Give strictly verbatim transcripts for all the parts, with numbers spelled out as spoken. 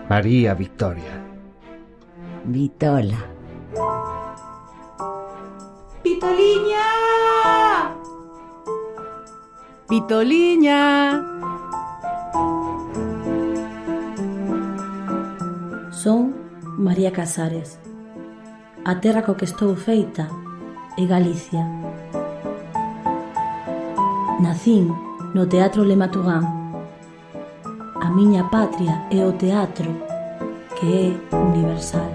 María Victoria. Vitola. Vitoliña! Vitoliña! Son María Casares. A terra co que estou feita é Galicia. Nacín no Teatro Le Matugán. A miña patria é o teatro, que é universal.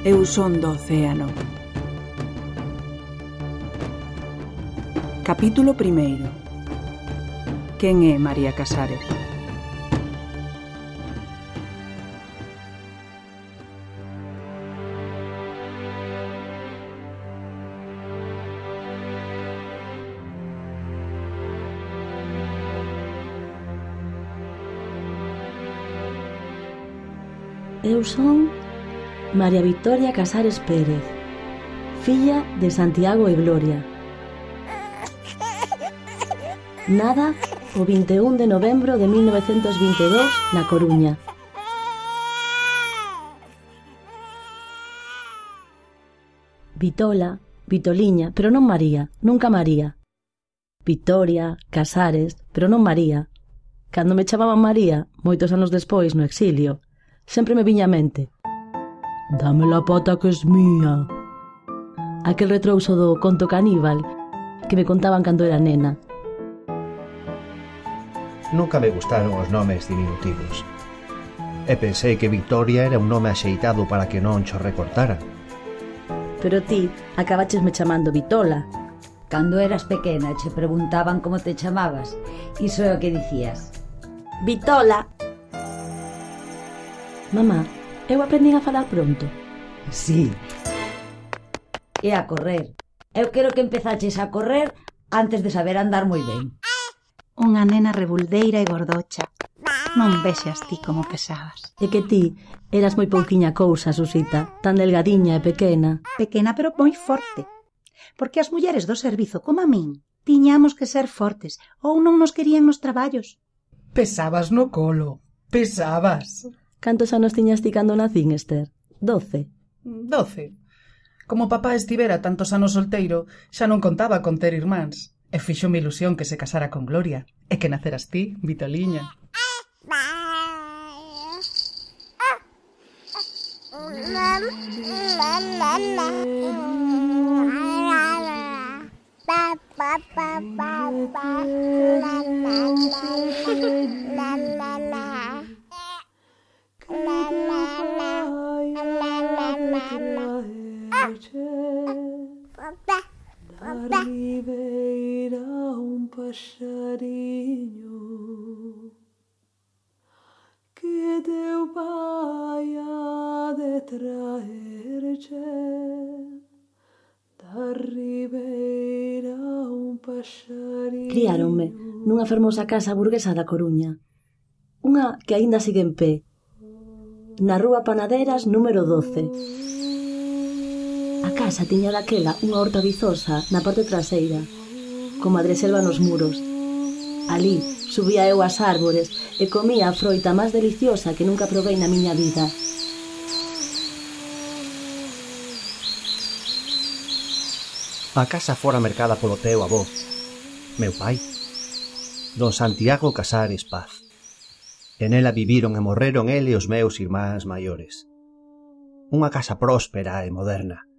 Eu son do océano. Capítulo primeiro. Quen é María Casares? Eu son María Victoria Casares Pérez, filla de Santiago e Gloria. Nada o vinte e un de novembro de mil novecentos vinte e dous na Coruña. Vitola, Vitoliña, pero non María, nunca María. Victoria, Casares, pero non María. Cando me chamaban María, moitos anos despois no exilio, sempre me viña a mente: dame la pata que es mía. Aquel retrouso do conto caníbal que me contaban cando era nena. Nunca me gustaron os nomes diminutivos. E pensei que Victoria era un nome axeitado para que non cho recortaran. Pero ti acabaches me chamando Vitola. Cando eras pequena che preguntaban como te chamabas. Iso é o que dicías. Vitola. Mamá, eu aprendín a falar pronto. Sí. E a correr. Eu quero que empezaches a correr antes de saber andar moi ben. Unha nena rebuldeira e gordocha. Non vexas ti como pesabas. É que ti eras moi pouquiña cousa, Susita, tan delgadiña e pequena. Pequena pero moi forte. Porque as mulleres do servizo, como a min, tiñamos que ser fortes ou non nos querían nos traballos. Pesabas no colo, pesabas. Cantos anos tiñas ti cando nacín, Esther? Doce? Doce. Como papá estivera tantos anos solteiro, xa non contaba con ter irmáns. E fixo mi ilusión que se casara con Gloria. E que naceras ti, Vitoliña. Da ribeira un passarinho que teu pai ha de traerche. Da ribeira un passarinho. Criáronme nunha fermosa casa burguesa da Coruña, unha que aínda sigue en pé, na rúa Panaderas número doce. A casa tiña daquela unha horta vizosa na parte traseira, con madreselva nos muros. Alí subía eu ás árbores e comía a froita máis deliciosa que nunca provei na miña vida. A casa fora mercada polo teu avó, meu pai, don Santiago Casares Paz. En ela viviron e morreron ele e os meus irmáns maiores. Unha casa próspera e moderna,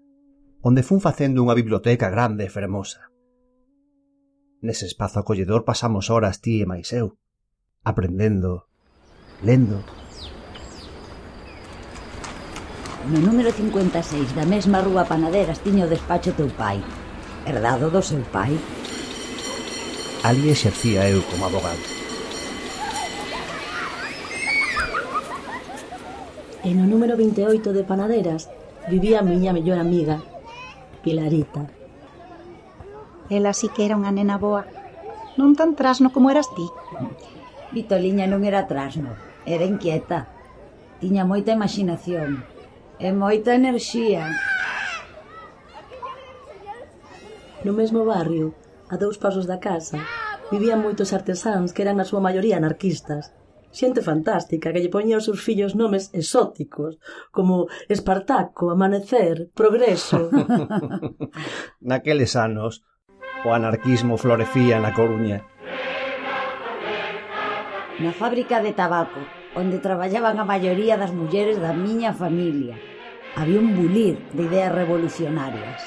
onde fun facendo unha biblioteca grande e fermosa. Nese espazo acolledor pasamos horas ti e máis eu, aprendendo, lendo. No número cincuenta e seis da mesma rúa Panaderas tiña o despacho teu pai, herdado do seu pai. Ali exercía eu como abogado. E no número vinte e oito de Panaderas vivía a miña mellor amiga, Pilarita. Ela sí que era unha nena boa. Non tan trasno como eras ti. Vitoliña non era trasno, era inquieta. Tiña moita imaginación e moita enerxía. No mesmo barrio, a dous pasos da casa, vivían moitos artesáns que eran na súa maioría anarquistas. Xente fantástica que lle poñía aos seus fillos nomes exóticos, como Espartaco, Amanecer, Progreso. Naqueles anos, o anarquismo florecía na Coruña. Na fábrica de tabaco, onde traballaban a maioría das mulleres da miña familia, había un bulir de ideas revolucionarias.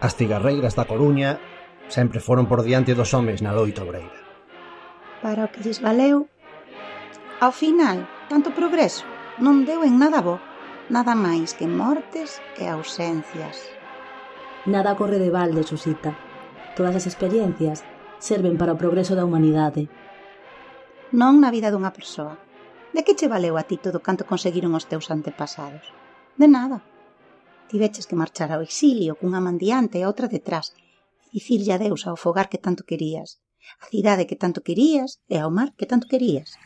As cigarreiras da Coruña sempre foron por diante dos homes na loita obreira. Para o que lles valeu, ao final, tanto progreso non deu en nada bo, nada máis que mortes e ausencias. Nada corre de balde, Susita. Todas as experiencias serven para o progreso da humanidade. Non na vida dunha persoa. De que che valeu a ti todo canto conseguiron os teus antepasados? De nada. Tiveches que marchar ao exilio cunha man diante e outra detrás, e dicirlle adeus ao fogar que tanto querías, a cidade que tanto querías e ao mar que tanto querías.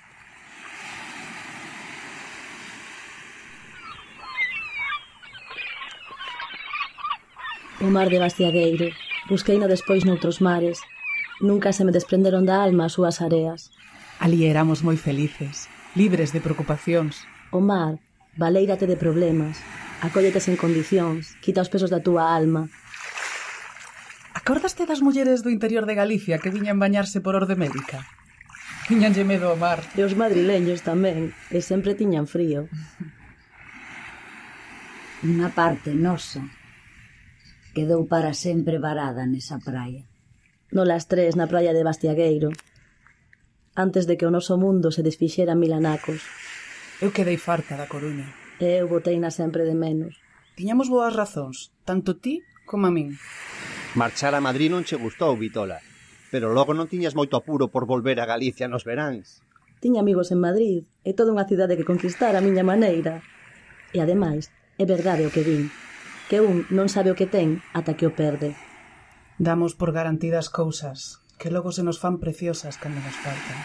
O mar de Bastiagueiro. Busqueino despois noutros mares. Nunca se me desprenderon da alma as súas areas. Ali éramos moi felices, libres de preocupacións. O mar, valéirate de problemas, acóllete sen condicións, quita os pesos da túa alma. Acordaste das mulleres do interior de Galicia que viñan bañarse por orde médica? Tiñanlle medo ao mar. E os madrileños tamén, e sempre tiñan frío. Unha parte nosa quedou para sempre varada nesa praia. No las tres na praia de Bastiagueiro, antes de que o noso mundo se desfixera en mil anacos. Eu quedei farta da Coruña. E eu boteina sempre de menos. Tiñamos boas razóns, tanto ti como a min. Marchar a Madrid non che gustou, Vitola, pero logo non tiñas moito apuro por volver a Galicia nos veráns. Tiña amigos en Madrid, e toda unha cidade que conquistar a miña maneira. E ademais, é verdade o que vin, que un non sabe o que ten ata que o perde. Damos por garantidas cousas, que logo se nos fan preciosas cando nos faltan.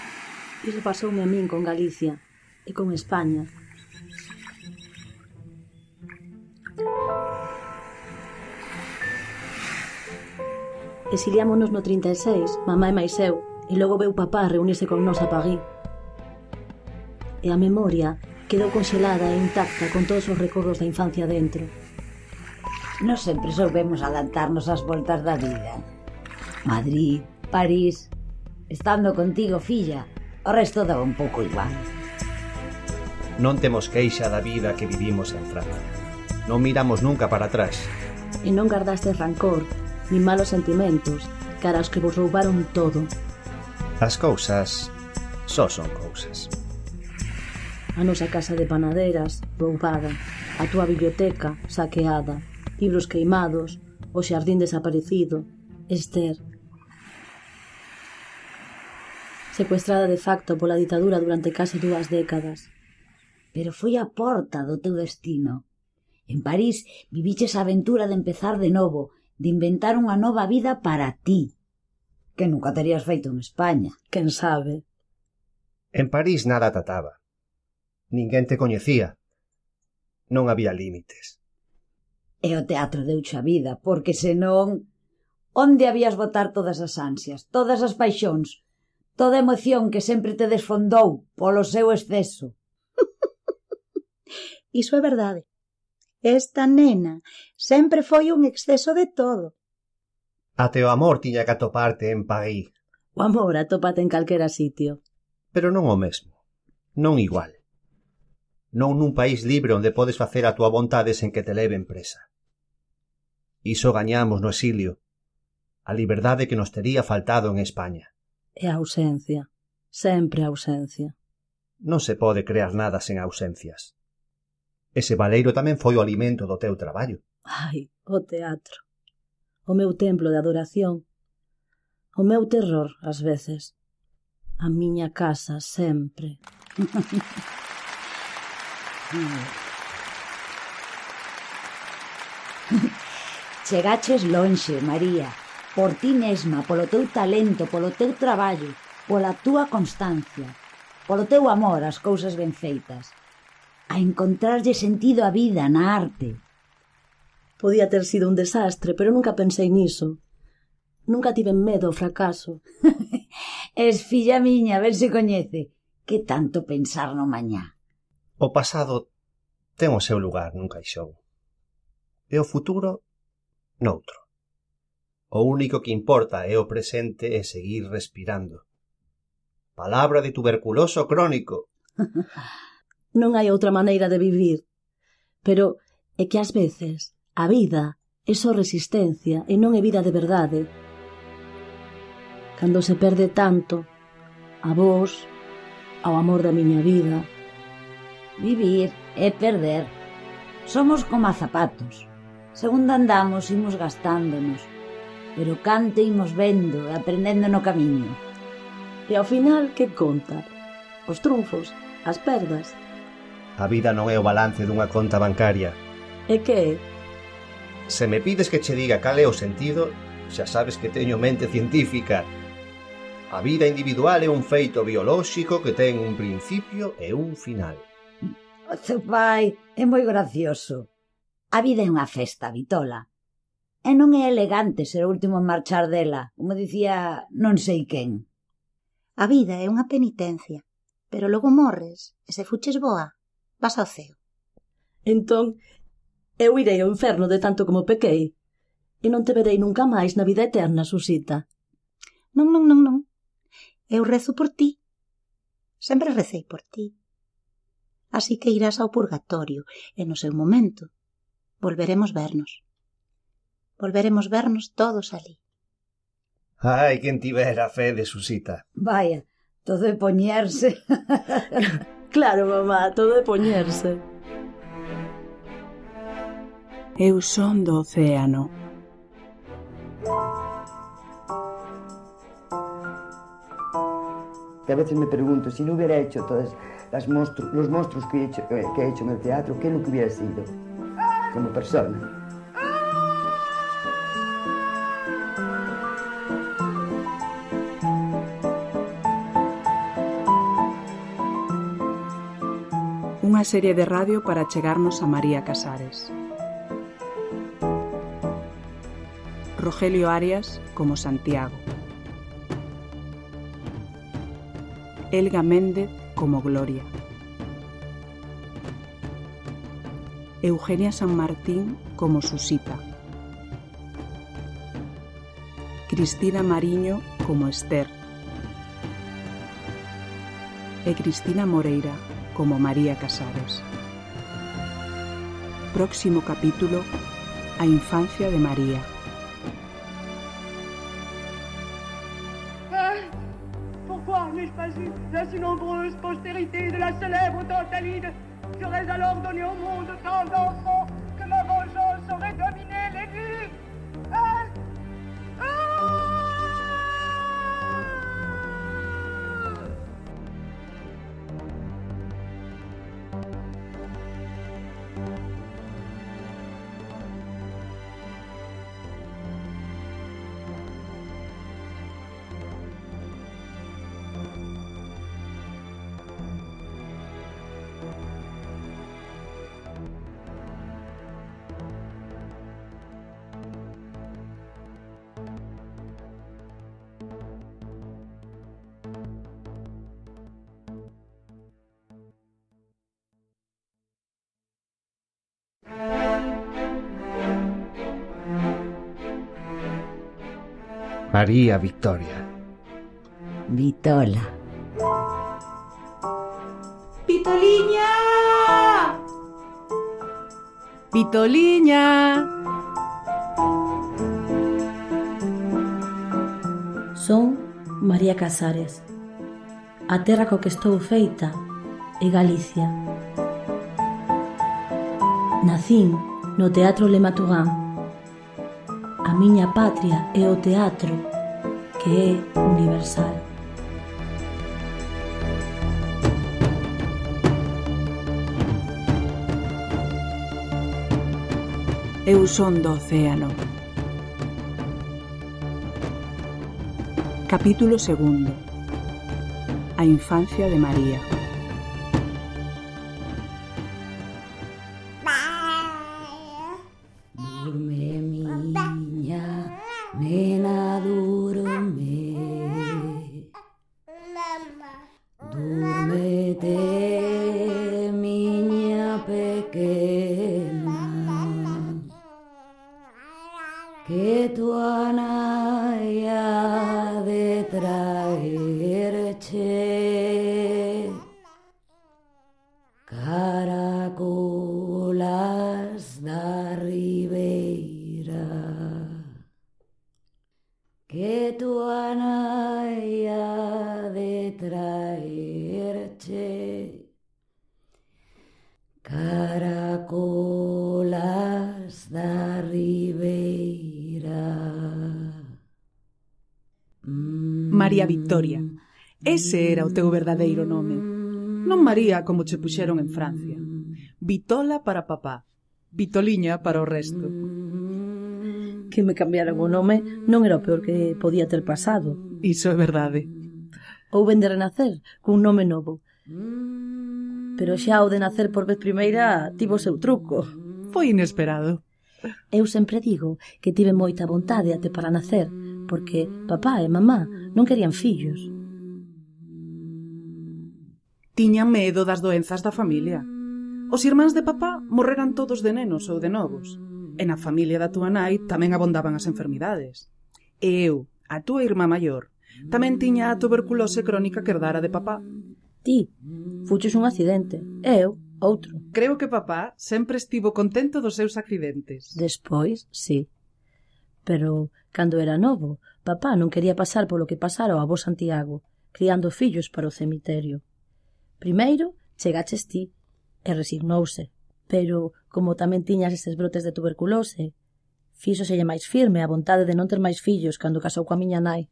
Iso pasoume a min con Galicia e con España. Exiliámonos no trinta e seis, mamá e máis eu, e logo veu papá a reunirse con nós a París. E a memoria quedou conxelada e intacta con todos os recordos da infancia dentro. Nos sempre soubemos adaptarnos ás voltas da vida. Madrid, París, estando contigo, filla, o resto daba un pouco igual. Non temos queixa da vida que vivimos en Francia. Non miramos nunca para atrás. E non guardastes rancor, nin malos sentimentos, cara aos que vos roubaron todo. As cousas só son cousas. A nosa casa de panaderas, roubada, a túa biblioteca, saqueada, libros queimados, o xardín desaparecido, Esther. Secuestrada de facto pola ditadura durante case dúas décadas. Pero foi a porta do teu destino. En París viviches a aventura de empezar de novo, de inventar unha nova vida para ti, que nunca terías feito en España. Quen sabe? En París nada tataba. Ninguén te coñecía. Non había límites. E o teatro deuche a vida, porque senón, onde habías botar todas as ansias, todas as paixóns, toda a emoción que sempre te desfondou polo seu exceso? Iso é verdade. Esta nena sempre foi un exceso de todo. Até o amor tiña que atoparte en París. O amor atópate en calquera sitio. Pero non o mesmo. Non igual. Non nun país libre onde podes facer a túa vontade sen que te leven presa. Iso gañamos no exilio. A liberdade que nos tería faltado en España. E a ausencia. Sempre a ausencia. Non se pode crear nada sen ausencias. Ese valeiro tamén foi o alimento do teu traballo. Ai, o teatro. O meu templo de adoración. O meu terror, ás veces. A miña casa, sempre. Chegaches lonxe, María, por ti mesma, polo teu talento, polo teu traballo, pola túa constancia, polo teu amor ás cousas ben feitas, a encontrarlle sentido á vida na arte. Podía ter sido un desastre, pero nunca pensei niso. Nunca tiven medo ao fracaso. Es filla miña, a ver se coñece. Que tanto pensar no mañá. O pasado ten o seu lugar nun caixón. E o futuro, noutro. O único que importa é o presente e seguir respirando. Palabra de tuberculoso crónico. Non hai outra maneira de vivir. Pero é que ás veces a vida é só resistencia e non é vida de verdade. Cando se perde tanto, a vos, ao amor da miña vida. Vivir é perder. Somos como zapatos. Segundo andamos, imos gastándonos. Pero cante imos vendo e aprendendo no camiño. E ao final, que conta? Os trunfos, as perdas. A vida non é o balance dunha conta bancaria. E que é? Se me pides que che diga cal é o sentido, xa sabes que teño mente científica. A vida individual é un feito biolóxico que ten un principio e un final. O teu pai é moi gracioso. A vida é unha festa, Vitola. E non é elegante ser o último en marchar dela, como dicía non sei quen. A vida é unha penitencia, pero logo morres, e se fuches boa, vas ao ceo. Entón, eu irei ao inferno de tanto como pequei, e non te verei nunca máis na vida eterna, Susita. Non, non, non, non. Eu rezo por ti. Sempre recei por ti. Así que irás ao purgatorio, e no seu momento volveremos vernos. Volveremos vernos todos ali. Ai, quen tivera fe de Susita. Vaya, todo é poñerse. Claro, mamá, todo é poñerse. Eu son do océano. Que a veces me pregunto, si no hubiera hecho todos las monstru los monstruos que he, hecho, eh, que he hecho en el teatro, ¿qué es lo que hubiera sido como persona? Unha serie de radio para chegarnos a María Casares. Rogelio Arias como Santiago. Elga Méndez como Gloria. Eugenia San Martín como Susita. Cristina Mariño como Esther. E Cristina Moreira como María Casares. Próximo capítulo: A infancia de María. Pourquoi n'ai-je pas eu la si nombreuse postérité de la célèbre Tantalide? J'aurais alors donné au monde tant d'enfants que ma vengeance aurait dominé les nues. Hein? Ah! María Victoria. Vitola. Vitoliña! Vitoliña! Son María Casares. A terra co que estou feita é Galicia. Nacín no Teatro Le Matugán. A miña patria é o teatro, que é universal. Eu son do océano. Capítulo segundo. A infancia de María. Durme, miña nena, que tua nai ha de traerche caracolas da ribeira, que tua nai ha de traerche caracolas da ribeira. María Victoria. Ese era o teu verdadeiro nome. Non María como che puxeron en Francia. Vitola para papá, Vitoliña para o resto. Que me cambiaran o nome non era o peor que podía ter pasado. Iso é verdade. Ou ben de renacer cun nome novo. Pero xa o de nacer por vez primeira tivo o seu truco. Foi inesperado. Eu sempre digo que tive moita vontade até para nacer, porque papá e mamá non querían fillos. Tiñan medo das doenzas da familia. Os irmáns de papá morreran todos de nenos ou de novos. E na familia da túa nai tamén abondaban as enfermidades. E eu, a túa irmá maior, tamén tiña a tuberculose crónica que herdara de papá. Ti, fuches un accidente. E eu, outro. Creo que papá sempre estivo contento dos seus accidentes. Despois, sí. Pero, cando era novo, papá non quería pasar polo que pasara o avó Santiago, criando fillos para o cemiterio. Primeiro, chegaches ti, e resignouse. Pero, como tamén tiñas estes brotes de tuberculose, fíxoselle máis firme a vontade de non ter máis fillos cando casou coa miña nai.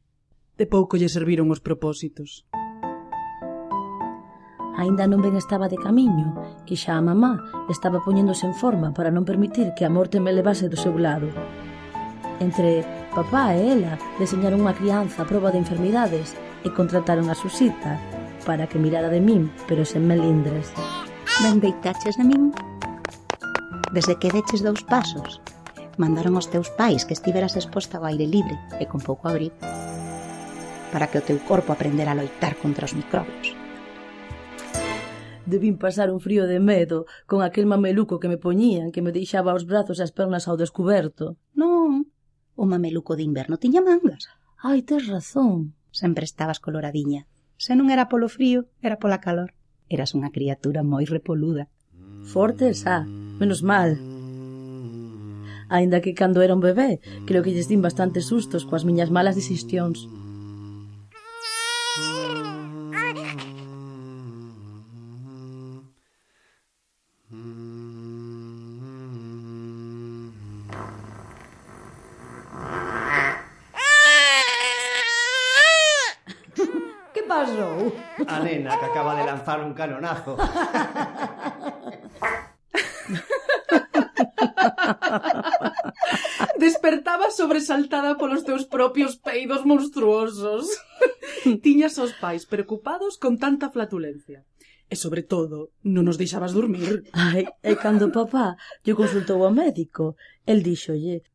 De pouco lle serviron os propósitos. Aínda non ben estaba de camiño, que xa a mamá estaba poñéndose en forma para non permitir que a morte me levase do seu lado. Entre papá e ela deseñaron unha crianza a proba de enfermidades e contrataron a Susita para que mirara de min, pero sen melindres. Ben deitaches de min? Desde que deches dous pasos, mandaron aos teus pais que estiveras exposta ao aire libre e con pouco abrigo, para que o teu corpo aprendera a loitar contra os microbios. Debín pasar un frío de medo con aquel mameluco que me poñían, que me deixaba os brazos e as pernas ao descuberto. Non, o mameluco de inverno tiña mangas. Ai, tes razón. Sempre estabas coloradiña. Se non era polo frío, era pola calor. Eras unha criatura moi repoluda. Forte xa, menos mal. Aínda que cando era un bebé, creo que lles din bastantes sustos coas miñas malas dixestións. Pasou? A nena que acaba de lanzar un canonazo. Despertaba sobresaltada polos teus propios peidos monstruosos. Tiñas os pais preocupados con tanta flatulencia. E, sobre todo, non nos deixabas dormir. Ai, e cando papá lle consultou ao médico, el díxolle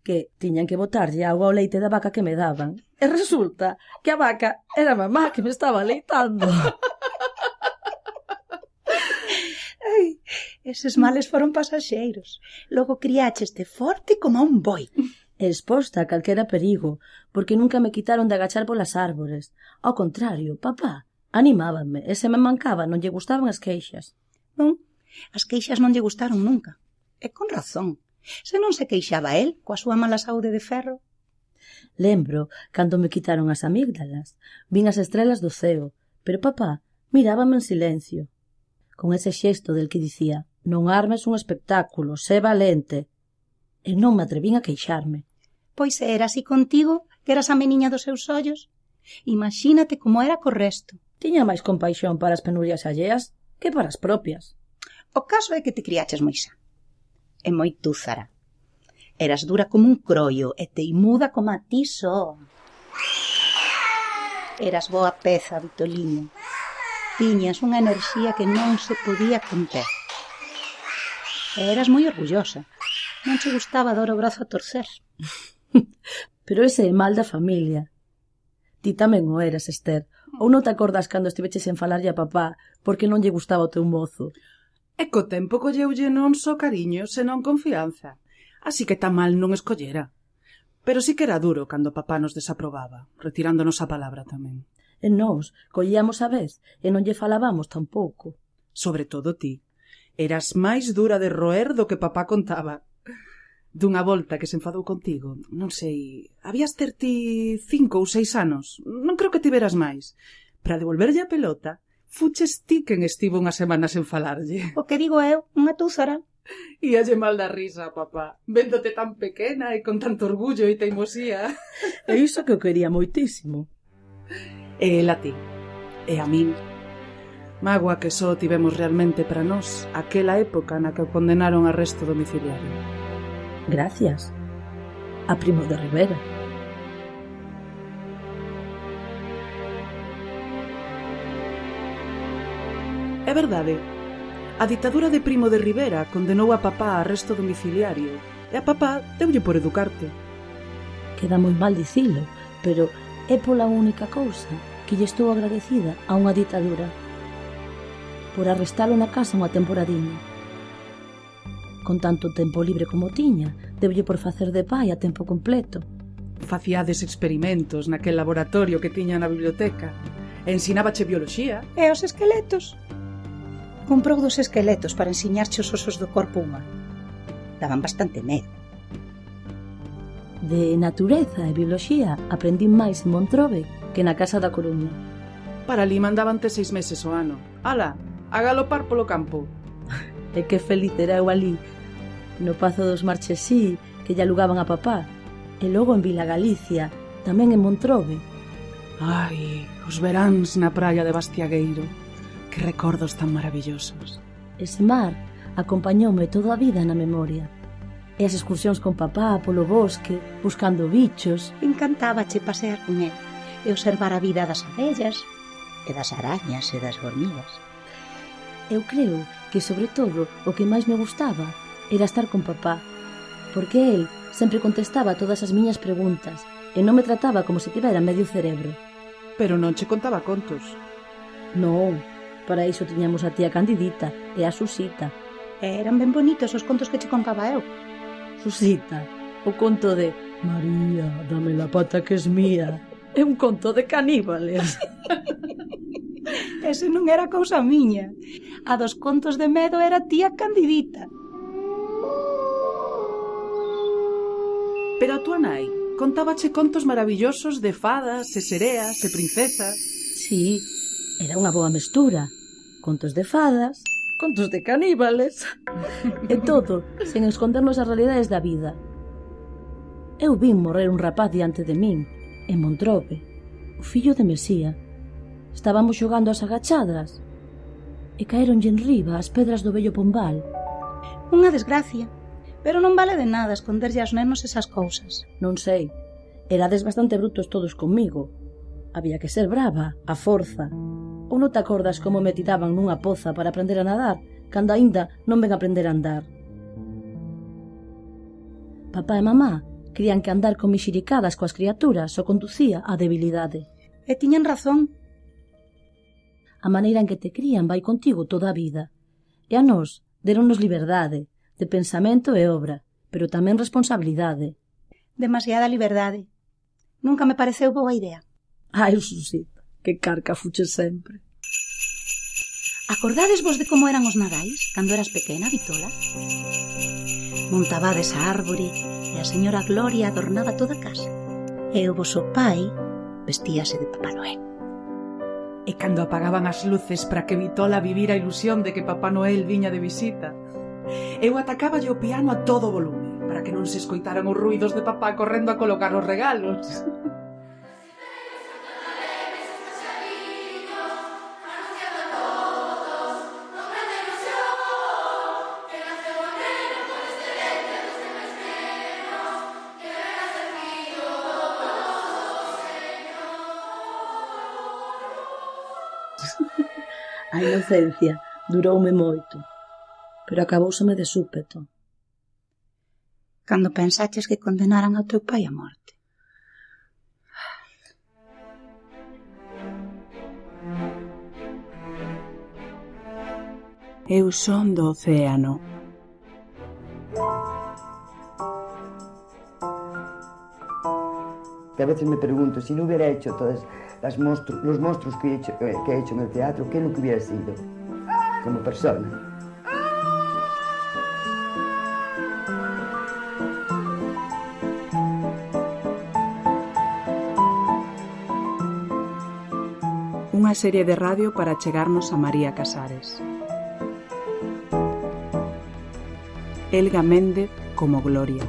que tiñan que botarlle agua ao leite da vaca que me daban. E resulta que a vaca era mamá que me estaba leitando. Ai, eses males foron pasaxeiros. Logo criácheste forte como un boi. Exposta a calquera perigo, porque nunca me quitaron de agachar polas árbores. Ao contrario, papá animábanme, e se me mancaba non lle gustaban as queixas. Non, as queixas non lle gustaron nunca. E con razón. Se non se queixaba el coa súa mala saúde de ferro. Lembro cando me quitaron as amígdalas. Vin as estrelas do ceo, pero papá mirábame en silencio, con ese xesto del que dicía: non armes un espectáculo, sé valente. E non me atrevín a queixarme. Pois era así contigo, que eras a meniña dos seus ollos. Imagínate como era co resto. Tiña máis compaixón para as penurias alleas que para as propias. O caso é que te criaches moi xa. E moi túzara. Eras dura como un croio e teimuda como a ti só. Eras boa peza, Vitoliña. Tiñas unha enerxía que non se podía conter. E eras moi orgullosa. Non che gustaba dar o brazo a torcer. Pero ese é mal da familia. Ti tamén o eras, Esther. Ou non te acordas cando estiveches en falarlle a papá porque non lle gustaba o teu mozo? E co tempo colleulle non só cariño, senón confianza. Así que tan mal non escollera. Pero sí que era duro cando papá nos desaprobaba, retirándonos a palabra tamén. E nós collíamos a vez e non lle falábamos tampouco. Sobre todo ti. Eras máis dura de roer do que papá contaba. Dunha volta que se enfadou contigo, non sei, habías ter ti cinco ou seis anos, non creo que tiveras máis. Para devolverlle a pelota, fuches ti quen estivo unha semana sen falarlle. O que digo eu, unha túzara. Íalle mal da risa, papá, véndote tan pequena e con tanto orgullo e teimosía. E iso que eu quería moitísimo. E el a ti, e a min. Mágoa que só tivemos realmente para nós aquela época na que o condenaron a arresto domiciliario. Gracias a Primo de Rivera. É verdade. A ditadura de Primo de Rivera condenou a papá a arresto domiciliario e a papá deulle por educarte. Queda moi mal dicilo, pero é pola única cousa que lle estou agradecida a unha ditadura. Por arrestalo na casa unha temporadiña. Con tanto tempo libre como tiña, deulle por facer de pai a tempo completo. Facíades experimentos naquel laboratorio que tiña na biblioteca. Ensinábache bioloxía. E os esqueletos? Comprou dos esqueletos para ensiñarche os osos do corpo humano. Daban bastante medo. De natureza e bioloxía aprendín máis en Montrobe que na casa da Coruña. Para ali mandabante seis meses o ano. Ala, a galopar polo campo. E que feliz era eu ali, no Pazo dos Marchesí, que lle alugaban a papá, e logo en Vila Galicia, tamén en Montrobe. Ai, os veráns na praia de Bastiagueiro, que recordos tan maravillosos. Ese mar acompañoume toda a vida na memoria. E as excursións con papá polo bosque, buscando bichos. Encantábache pasear con el e observar a vida das abellas e das arañas e das hormigas. Eu creo que, sobre todo, o que máis me gustaba era estar con papá, porque el sempre contestaba todas as miñas preguntas e non me trataba como se tivera medio cerebro. Pero non che contaba contos. Non, para iso tiñamos a tía Candidita e a Susita. E eran ben bonitos os contos que che contaba eu. Susita, o conto de María, dame la pata que es mía. É un conto de caníbales. Ese non era cousa miña. A dos contos de medo era tía Candidita. Pero a túa nai contábache contos maravillosos de fadas e sereas e princesas. Sí, era unha boa mestura. Contos de fadas, contos de caníbales. E todo, sen escondernos as realidades da vida. Eu vin morrer un rapaz diante de min, en Montrobe, o fillo de Mesía. Estábamos xogando as agachadas e caeronlle enriba as pedras do vello Pombal. Unha desgracia, pero non vale de nada esconderlle aos nenos esas cousas. Non sei, erades bastante brutos todos comigo. Había que ser brava, a forza. Ou non te acordas como me tiraban nunha poza para aprender a nadar, cando aínda non ven aprender a andar? Papá e mamá querían que andar con mixiricadas coas criaturas o conducía á debilidade. E tiñan razón. A maneira en que te crían vai contigo toda a vida. E a nós deronnos liberdade, de pensamento e obra, pero tamén responsabilidade. Demasiada liberdade. Nunca me pareceu boa idea. Ai, Susita, que carca fuches sempre. Acordades vos de como eran os nadais cando eras pequena, Vitola? Montabades a árbore e a señora Gloria adornaba toda a casa. E o voso pai vestíase de Papá Noel. E cando apagaban as luces para que Vitola vivira a ilusión de que Papá Noel viña de visita, eu atacáballe o piano a todo volume para que non se escoitaran os ruidos de papá correndo a colocar os regalos. A inocencia duroume moito, pero acabouseme de súpeto. Cando pensaches que condenaran ao teu pai a morte. Eu son do océano. a veces me pregunto, si no hubiera hecho todos las monstru los monstruos que he, hecho, eh, que he hecho en el teatro, ¿qué es lo que hubiera sido como persona? Unha serie de radio para chegarnos a María Casares. Elga Méndez como Gloria.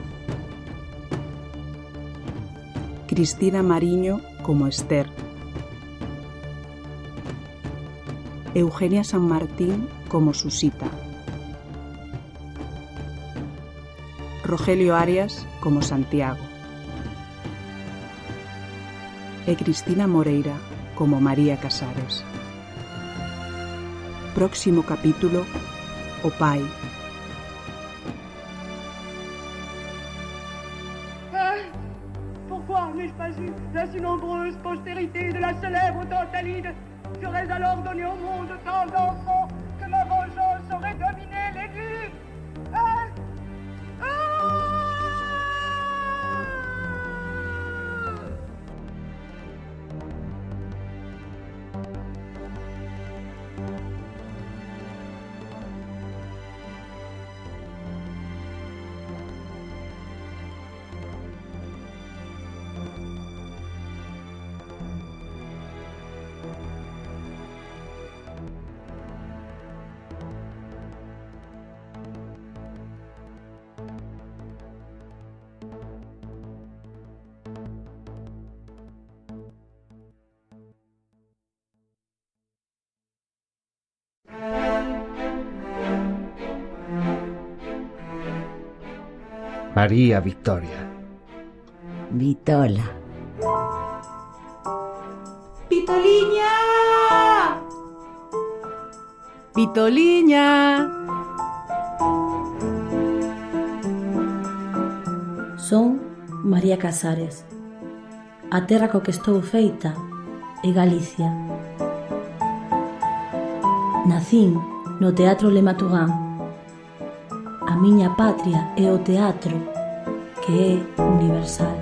Cristina Mariño como Esther. Eugenia San Martín como Susita. Rogelio Arias como Santiago. E Cristina Moreira como María Casares. Próximo capítulo, o pai. Ah, pourquoi n'ai-je pas eu la si nombreuse postérité de la célèbre Tantalide? J'aurais alors donné au monde tant d'enfants que ma vengeance aurait dominé les vues. Ah, ah. María Victoria. Vitola. Vitoliña! Vitoliña! Son María Casares. A terra co que estou feita é Galicia. Nacín no Teatro Le Matugán. A miña patria é o teatro, que é universal.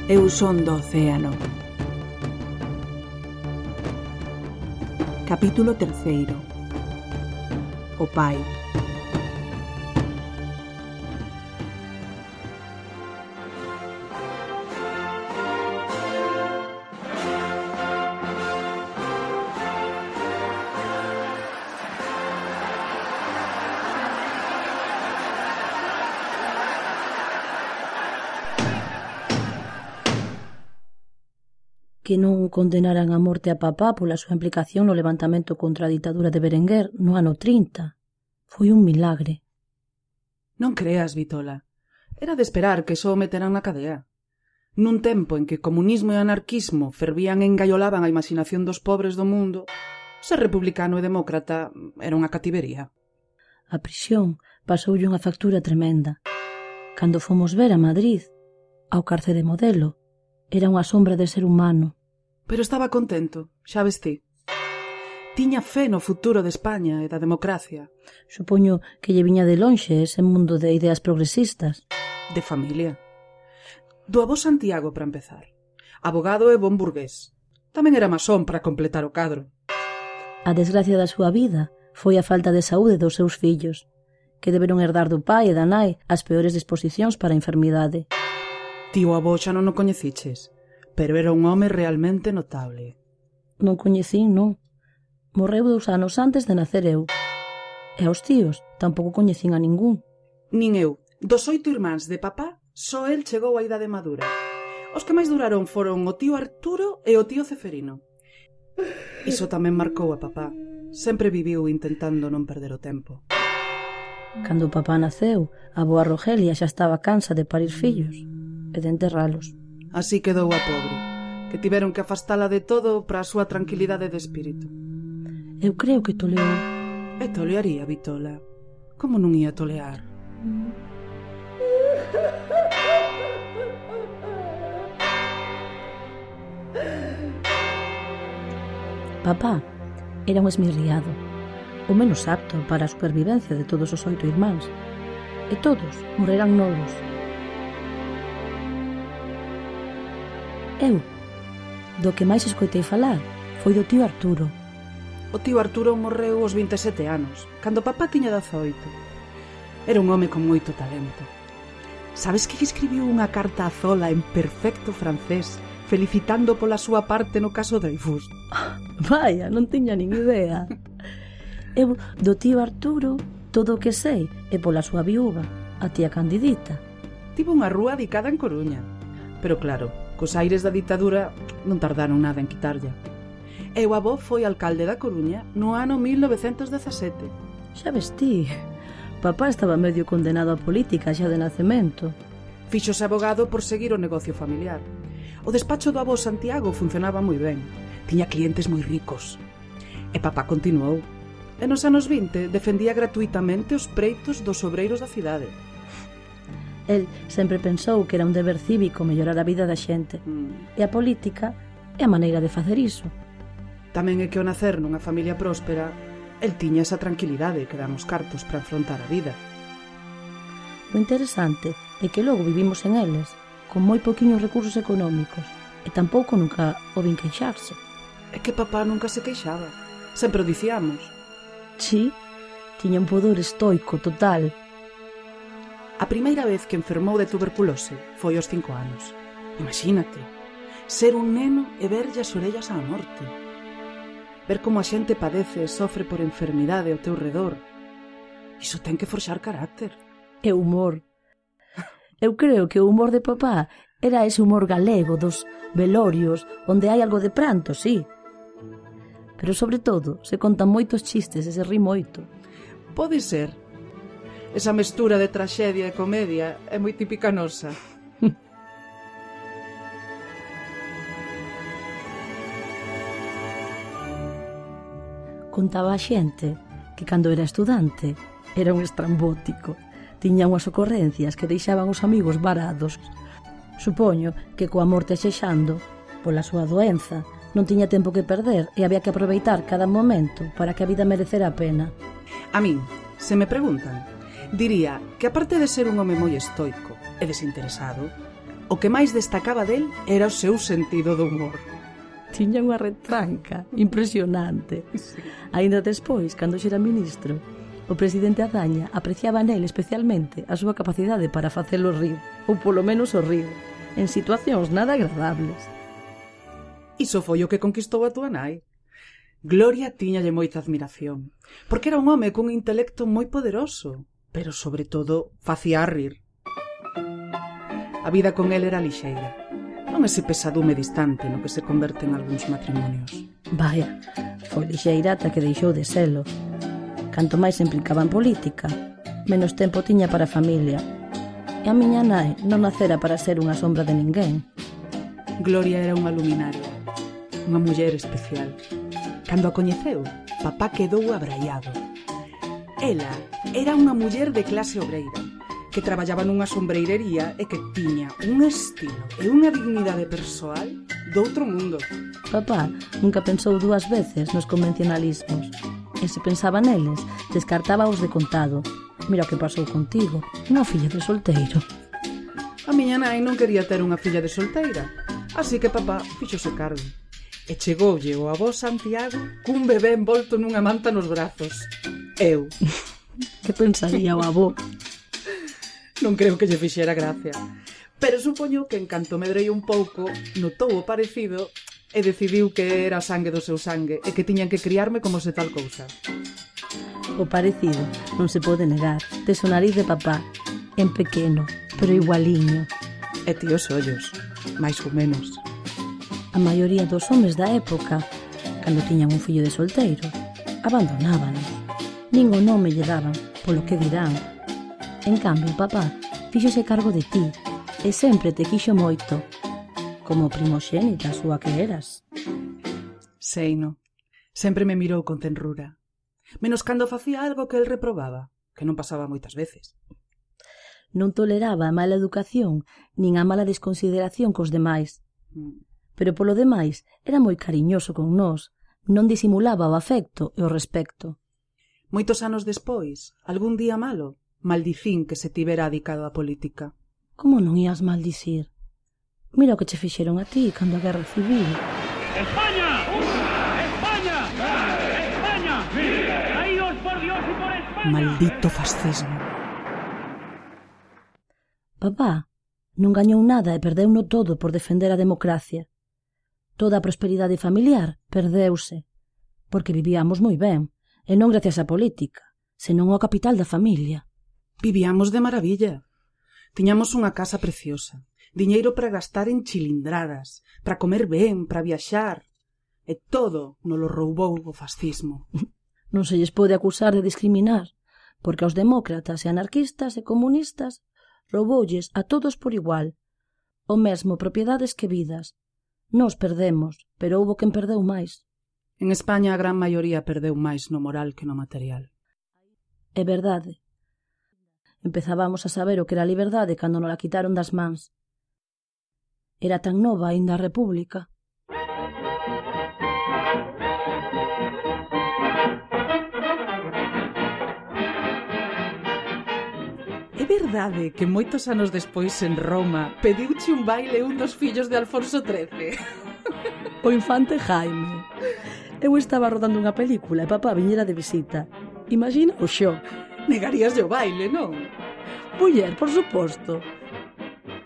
Eu son do océano. Capítulo terceiro. O pai. Que non condenaran a morte a papá pola súa implicación no levantamento contra a ditadura de Berenguer no ano trinta. Foi un milagre. Non creas, Vitola. Era de esperar que só o meteran na cadea. Nun tempo en que comunismo e anarquismo fervían e engaiolaban a imaginación dos pobres do mundo, ser republicano e demócrata era unha cativería. A prisión pasoulle unha factura tremenda. Cando fomos ver a Madrid, ao cárcere modelo, era unha sombra de ser humano. Pero estaba contento, xa ves ti. Tiña fe no futuro de España e da democracia. Supoño que lle viña de lonxe ese mundo de ideas progresistas. De familia. Do avó Santiago, para empezar. Abogado e bon burgués. Tamén era masón para completar o cadro. A desgracia da súa vida foi a falta de saúde dos seus fillos, que deberon herdar do pai e da nai as peores disposicións para a enfermidade. Tío avó xa non o coñeciches, pero era un home realmente notable. Non coñecín, non. Morreu dous anos antes de nacer eu. E aos tíos tampouco coñecín a ningún. Nin eu. Dos oito irmáns de papá, só el chegou á idade madura. Os que máis duraron foron o tío Arturo e o tío Ceferino. Iso tamén marcou a papá. Sempre viviu intentando non perder o tempo. Cando o papá naceu, a boa Rogelia xa estaba cansa de parir fillos e de enterralos. Así quedou a pobre, que tiveron que afastala de todo para a súa tranquilidade de espírito. Eu creo que toleou. E tolearía, Vitola. Como non ia tolear? Papá era un esmirriado. o menos apto para a supervivencia de todos os oito irmáns. E todos morreran novos. Eu, do que máis escoitei falar, foi do tío Arturo. O tío Arturo morreu aos vinte e sete anos, cando papá tiña dezoito. Era un home con moito talento. Sabes que lle escribiu unha carta a Zola en perfecto francés, felicitando pola súa parte no caso Dreyfus? Vaya, non tiña nin idea. Eu, do tío Arturo, todo o que sei é pola súa viúva, a tía Candidita. Tivo unha rúa dedicada en Coruña, pero claro, cos aires da ditadura non tardaron nada en quitarlla. E o avó foi alcalde da Coruña no ano mil novecentos dezasete. Xa ves ti, papá estaba medio condenado á política xa de nacemento. Fíxose abogado por seguir o negocio familiar. O despacho do avó Santiago funcionaba moi ben, tiña clientes moi ricos. E papá continuou. E nos anos vinte defendía gratuitamente os preitos dos obreiros da cidade. El sempre pensou que era un deber cívico mellorar a vida da xente. Mm. E a política é a maneira de facer iso. Tamén é que ao nacer nunha familia próspera, el tiña esa tranquilidade que dan os cartos para afrontar a vida. O interesante é que logo vivimos en eles, con moi poquinhos recursos económicos, e tampouco nunca o vin queixarse. É que papá nunca se queixaba. Sempre o dicíamos. Sí, tiña un pudor estoico total. A primeira vez que enfermou de tuberculose foi aos cinco anos. Imagínate, ser un neno e verlle as orellas á morte. Ver como a xente padece e sofre por enfermidade ao teu redor. Iso ten que forxar carácter. E humor. Eu creo que o humor de papá era ese humor galego dos velorios, onde hai algo de pranto, sí. Pero sobre todo, se contan moitos chistes e se ri moito. Pode ser. Esa mestura de traxedia e comedia é moi típica nosa. Contaba a xente que cando era estudante era un estrambótico. Tiña unhas ocorrencias que deixaban os amigos varados. Supoño que coa morte xexando, pola súa doenza, non tiña tempo que perder e había que aproveitar cada momento para que a vida merecera a pena. A min, se me preguntan, diría que aparte de ser un home moi estoico e desinteresado, o que máis destacaba del era o seu sentido do humor. Tiña unha retranca impresionante. Sí. Ainda despois, cando xera ministro, o presidente Azaña apreciaba nel especialmente a súa capacidade para facelo rir, ou polo menos o rir, en situacións nada agradables. Iso foi o que conquistou a túa nai. Gloria tiñalle moita admiración, porque era un home cun intelecto moi poderoso, pero sobre todo facía rir. A vida con el era lixeira, non ese pesadume distante no que se converte en algúns matrimonios. Vaya, foi lixeira ata que deixou de selo. Canto máis se implicaba en política, menos tempo tiña para a familia. E a miña nai non nacera para ser unha sombra de ninguén. Gloria era unha luminaria, unha muller especial. Cando a coñeceu, papá quedou abraiado. Ela era unha muller de clase obreira, que traballaba nunha sombreirería e que tiña un estilo e unha dignidade persoal do outro mundo. Papá nunca pensou dúas veces nos convencionalismos, e se pensaba neles, descartaba os de contado. Mira o que pasou contigo, unha filla de solteiro. A miña nai non quería ter unha filla de solteira, así que papá fíxose cargo. E chegoulle o avó Santiago cun bebé envolto nunha manta nos brazos. Eu. Que pensaría o avó? Non creo que lle fixera gracia, pero supoño que en canto medrei un pouco notou o parecido e decidiu que era sangue do seu sangue e que tiñan que criarme como se tal cousa. O parecido non se pode negar. Tes o nariz de papá, en pequeno, pero igualiño. E ti os ollos, máis ou menos. A maioría dos homes da época, cando tiñan un fillo de solteiro, abandonaban. Nin o nome lle daban, polo que dirán. En cambio, papá fíxose cargo de ti e sempre te quixo moito, como primoxénita súa que eras. Seino, sempre me mirou con tenrura, menos cando facía algo que el reprobaba, que non pasaba moitas veces. Non toleraba a mala educación nin a mala desconsideración cos demais. Mm. Pero polo demais era moi cariñoso con nós, non disimulaba o afecto e o respecto. Moitos anos despois, algún día malo, maldicín que se tivera adicado á política. Como non ías maldicir? Mira o que che fixeron a ti cando a guerra civil. ¡España! ¡España! ¡España! ¡Caídos por Dios y por España! Maldito fascismo. Papá non gañou nada e perdeuno todo por defender a democracia. Toda a prosperidade familiar perdeuse, porque vivíamos moi ben, e non gracias á política, senón ao capital da familia. Vivíamos de maravilla. Tiñamos unha casa preciosa, diñeiro para gastar en chilindradas, para comer ben, para viaxar, e todo nolo roubou o fascismo. Non se lles pode acusar de discriminar, porque aos demócratas e anarquistas e comunistas rouboulles a todos por igual, o mesmo propiedades que vidas. Nos perdemos, pero houbo quen perdeu máis. En España a gran maioría perdeu máis no moral que no material. É verdade. Empezábamos a saber o que era a liberdade cando nos la quitaron das mans. Era tan nova aínda a República. É verdade que moitos anos despois en Roma pediuche un baile un dos fillos de Alfonso trece. O infante Jaime. Eu estaba rodando unha película e papá viñera de visita. Imagina o shock. Negarías o baile, non? Muller, por suposto.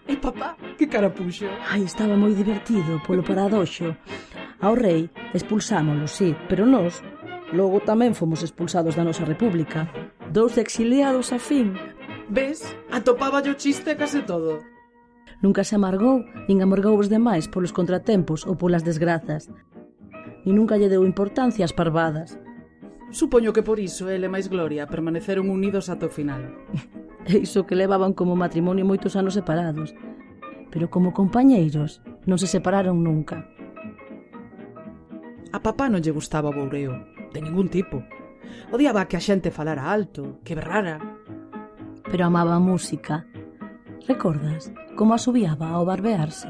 E papá, que cara puxo? Ai, estaba moi divertido polo paradoxo. Ao rei expulsámolo, sí, pero nós logo tamén fomos expulsados da nosa república. Dous exiliados a fin. Ves? Atopaba yo chiste case todo. Nunca se amargou, nin amargou os demais polos contratempos ou polas desgrazas. Ni nunca lle deu importancia ás parvadas. Supoño que por iso ele e máis Gloria permaneceron unidos ata o final. E iso que levaban como matrimonio moitos anos separados. Pero como compañeiros non se separaron nunca. A papá non lle gustaba o boureo, de ningún tipo. Odiaba que a xente falara alto, que berrara. Pero amaba a música. Recordas como asubiaba ao barbearse?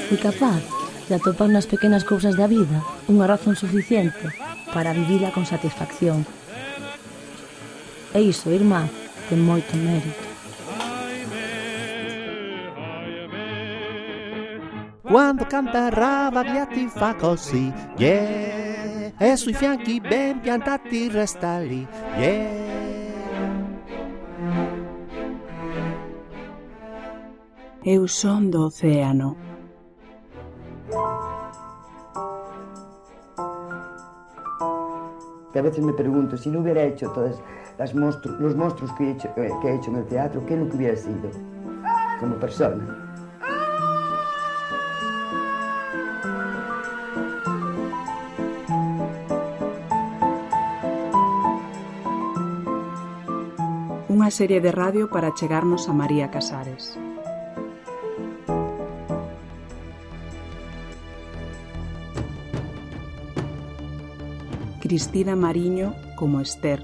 Fui capaz de atopar nas pequenas cousas da vida unha razón suficiente para vivila con satisfacción. E iso, irmá, ten moito mérito. Quando canta Rabbagliati fa così, yeah, e sui fianchi ben piantati resta lì, yeah. Eu son do océano. Que a veces me pregunto, si no hubiera hecho todos las monstru los monstruos que he, hecho, eh, que he hecho en el teatro, ¿qué es lo que hubiera sido como persona? Unha serie de radio para chegarnos a María Casares. Cristina Mariño como Esther.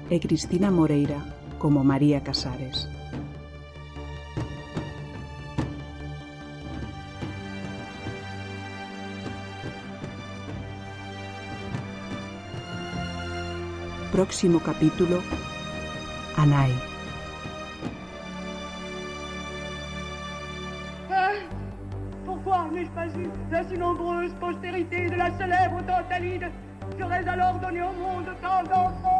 E Cristina Moreira como María Casares. Próximo capítulo, Anai. Pourquoi n'ai-je pas eu la si nombreuse postérité de la célèbre Tantalide? J'aurais alors donné au monde tant d'enfants.